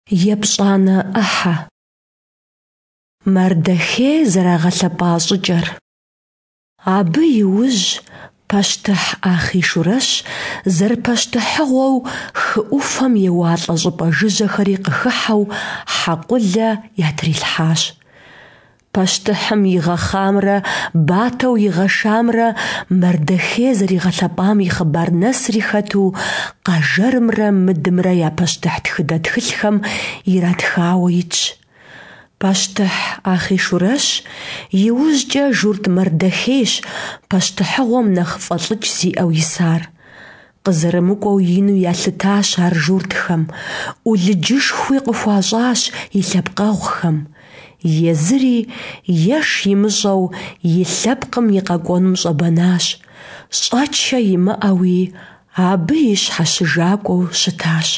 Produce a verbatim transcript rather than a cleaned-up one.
Епщӏанэ ӏыхьэ. Мардэхей зэрагъэлъэпӏа щӏыкӏэр. Абы и ужь пащтыхь Ахъийшурэщ зэрыпащтыхьыгъуэу, хы ӏуфэм еуалӏэ щӏыпӏэ жыжьэхэри къыхыхьэу, хьэкъулэ ятрилъхьащ. Пащтыхьым игъэхъамрэ батэу игъэшамрэ Мардэхей зэригъэлъэпӏам и хъыбар нэсри хэту Къэжэрымрэ Мыдымрэ я пащтыхь тхыдэ тхылъхэм иратхауэ итщ. Пащтыхь Ахъийшурэщ и ужькӏэ журт Мардэхейщ пащтыхьыгъуэм нэхъ фӏэлӏыкӏ зиӏэу исар. Къызэрымыкӏуэу ину ялъытащ ар журтхэм, ӏулыджышхуи къыхуащӏащ и лъэпкъэгъухэм. Езыри, еш имыщӏэу, и лъэпкъым и къэкӏуэнум щӏэбэнащ, щӏэчэ имыӏэуи абы и щхьэщыжакӏуэу щытащ.